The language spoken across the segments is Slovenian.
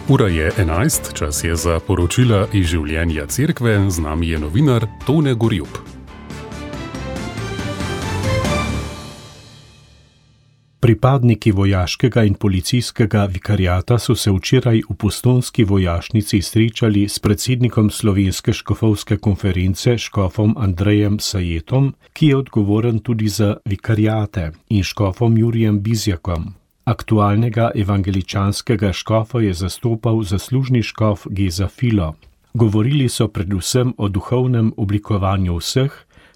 Ura je 11, čas je za poročila iz življenja cerkve, z nami je novinar Tone Gorjup. Pripadniki vojaškega in policijskega vikariata so se včeraj v Postojnski vojašnici srečali s predsednikom Slovenske škofovske konference, škofom Andrejem Sajetom, ki je odgovoren tudi za vikariate, in škofom Jurijem Bizjakom. Aktualnega evangeličanskega škofa je zastopal zaslužni škof Geza Filo. Govorili so predvsem o duhovnem oblikovanju vseh,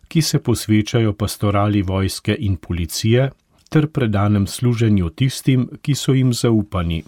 ki se posvečajo pastorali vojske in policije, ter predanem služenju tistim, ki so jim zaupani.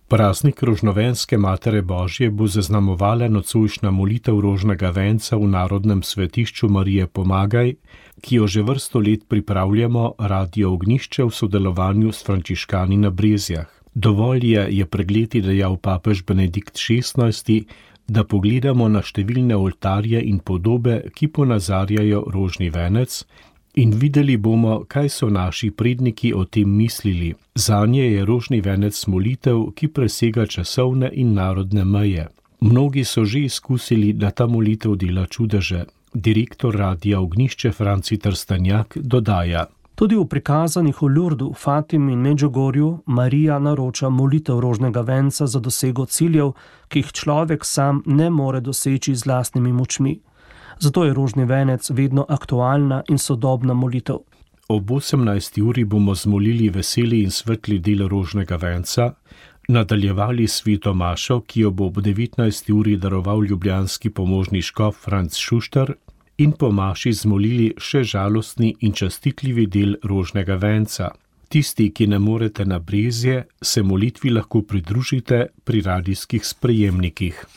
Praznik rožnovenske Matere Božje bo zaznamovala nocojšnja molitev rožnega venca v Narodnem svetišču Marije Pomagaj, ki jo že vrsto let pripravljamo Radio Ognjišče v sodelovanju s frančiškani na Brezjah. Dovolj je pred leti dejal papež Benedikt XVI, da pogledamo na številne oltarje in podobe, ki ponazarjajo rožni venec, in videli bomo, kaj so naši predniki o tem mislili. Zanje je rožni venec molitev, ki presega časovne in narodne meje. Mnogi so že izkusili, da ta molitev dela čudeže. Direktor Radia Ognjišče Franci Trstenjak dodaja: Tudi v prikazanih v Lurdu, Fatimi in Medžugorju Marija naroča molitev rožnega venca za dosego ciljev, ki jih človek sam ne more doseči z lastnimi močmi. Zato je rožni venec vedno aktualna in sodobna molitev. Ob 18. uri bomo zmolili veseli in svetli del rožnega venca, nadaljevali sveto mašo, ki jo bo ob 19. uri daroval ljubljanski pomožni škof Franc Šuštar, in po maši zmolili še žalostni in častitljivi del rožnega venca. Tisti, ki ne morete na Brezje, se molitvi lahko pridružite pri radijskih sprejemnikih.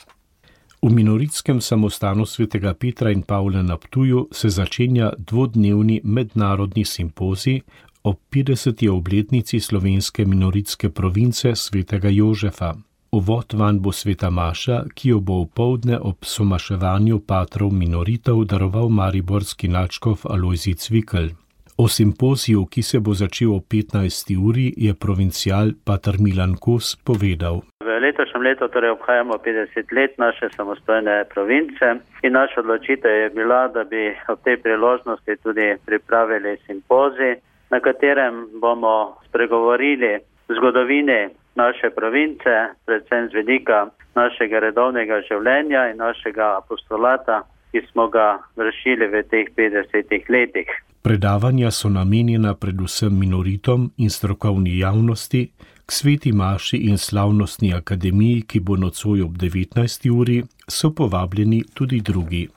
V Minoritskem samostanu svetega Petra in Pavla na Ptuju se začenja dvodnevni mednarodni simpozij ob 50. obletnici slovenske minoritske province svetega Jožefa. Uvod vanj bo sveta maša, ki jo bo opoldne ob somaševanju patrov minoritov daroval mariborski nadškof Alojzij Cvikl. O simpoziju, ki se bo začel ob 15. uri, je provincial pater Milan Kos povedal: V letošnjem letu torej obhajamo 50 let naše samostojne province in naša odločitev je bila, da bi ob tej priložnosti tudi pripravili simpozij, na katerem bomo spregovorili zgodovini naše province, predvsem z vidika našega redovnega življenja in našega apostolata, ki smo ga vršili v teh 50 letih. Predavanja so namenjena predvsem minoritom in strokovni javnosti, k sveti maši in slavnostni akademiji, ki bo nocoj ob 19. uri, so povabljeni tudi drugi.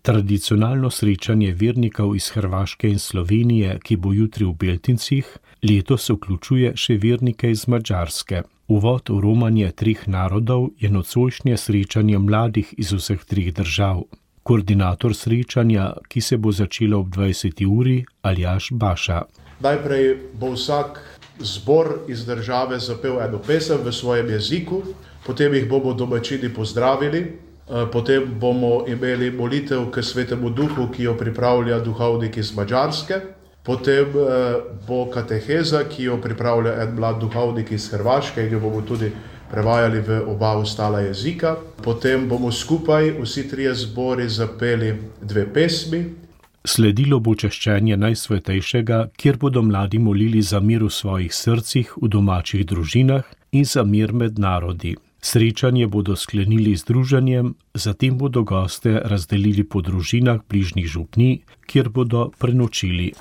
Tradicionalno srečanje vernikov iz Hrvaške in Slovenije, ki bo jutri v Beltincih, letos vključuje še vernike iz Madžarske. Uvod v romanje treh narodov je nocojšnje srečanje mladih iz vseh treh držav. Koordinator srečanja, ki se bo začelo ob 20. uri, Aljaž Baša. Najprej bo vsak zbor iz države zapel eno pesem v svojem jeziku, potem jih bomo domačini pozdravili, potem bomo imeli molitev k Svetemu Duhu, ki jo pripravlja duhovnik iz Madžarske, potem bo kateheza, ki jo pripravlja en mlad duhovnik iz Hrvaške in jo bomo tudi prevajali v oba ostala jezika. Potem bomo skupaj vsi trije zbori zapeli dve pesmi. Sledilo bo češčenje Najsvetejšega, kjer bodo mladi molili za mir v svojih srcih, v domačih družinah in za mir med narodi. Srečanje bodo sklenili z druženjem, zatem bodo goste razdelili po družinah bližnjih župnij, kjer bodo prenočili.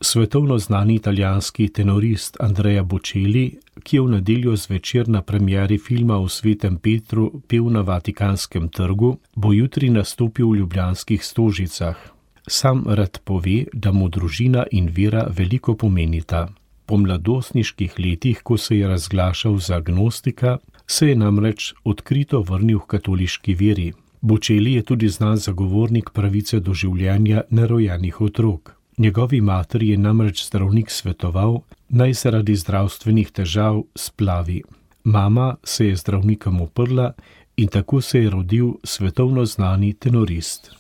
Svetovno znani italijanski tenorist Andrea Bocelli, ki je v nedeljo zvečer na premieri filma o Svetem Petru pel na Vatikanskem trgu, bo jutri nastopil v ljubljanskih Stožicah. Sam rad pove, da mu družina in vera veliko pomenita. Po mladostniških letih, ko se je razglašal za agnostika, se je namreč odkrito vrnil k katoliški veri. Bocelli je tudi znan zagovornik pravice do življenja nerojenih otrok. Njegovi materi je namreč zdravnik svetoval, naj zaradi zdravstvenih težav splavi. Mama se je zdravnikom uprla in tako se je rodil svetovno znani tenorist.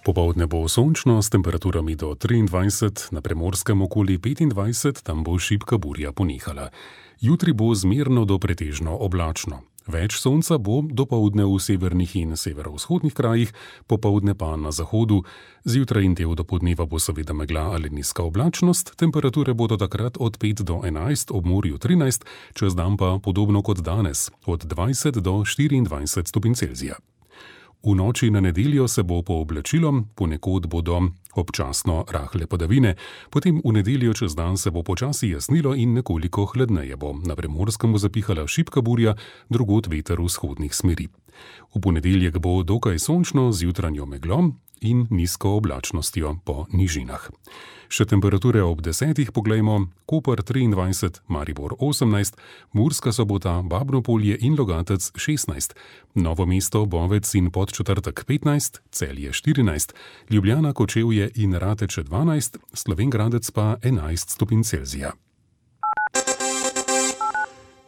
Popoldne bo sončno s temperaturami do 23, na Primorskem okoli 25, tam bo šibka burja ponehala. Jutri bo zmerno do pretežno oblačno. Več sonca bo dopoldne v severnih in severovzhodnih krajih, popoldne pa na zahodu. Zjutraj in del dopoldneva bo seveda megla ali nizka oblačnost, temperature bodo takrat od 5 do 11, ob morju 13, čez dan pa podobno kot danes, od 20 do 24 stopinj Celzija. V noči na nedeljo se bo pooblačilo, ponekod bodo občasno rahle padavine, potem v nedeljo čez dan se bo počasi jasnilo in nekoliko hladneje bo. Na Primorskem bo zapihala šibka burja, drugod veter vzhodnih smeri. V ponedeljek bo dokaj sončno z jutranjo meglo in nizko oblačnostjo po nižinah. Še temperature ob 10 poglejmo: Koper 23, Maribor 18, Murska Sobota, Babno Polje in Logatec 16, Novo mesto, Bovec in Podčetrtek 15, Celje 14, Ljubljana, Kočevje in Rateče 12, Slovenj Gradec pa 11 stopinj Celzija.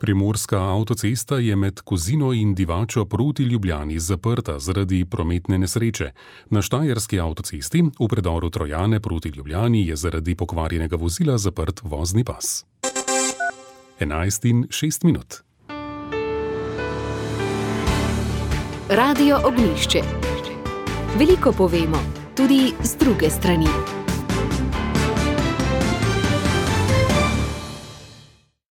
Primorska avtocesta je med Kozino in Divačo proti Ljubljani zaprta zaradi prometne nesreče. Na štajerski avtocesti v predoru Trojane proti Ljubljani je zaradi pokvarjenega vozila zaprt vozni pas. 11:06. Radio Ognjišče. Veliko povemo, tudi z druge strani.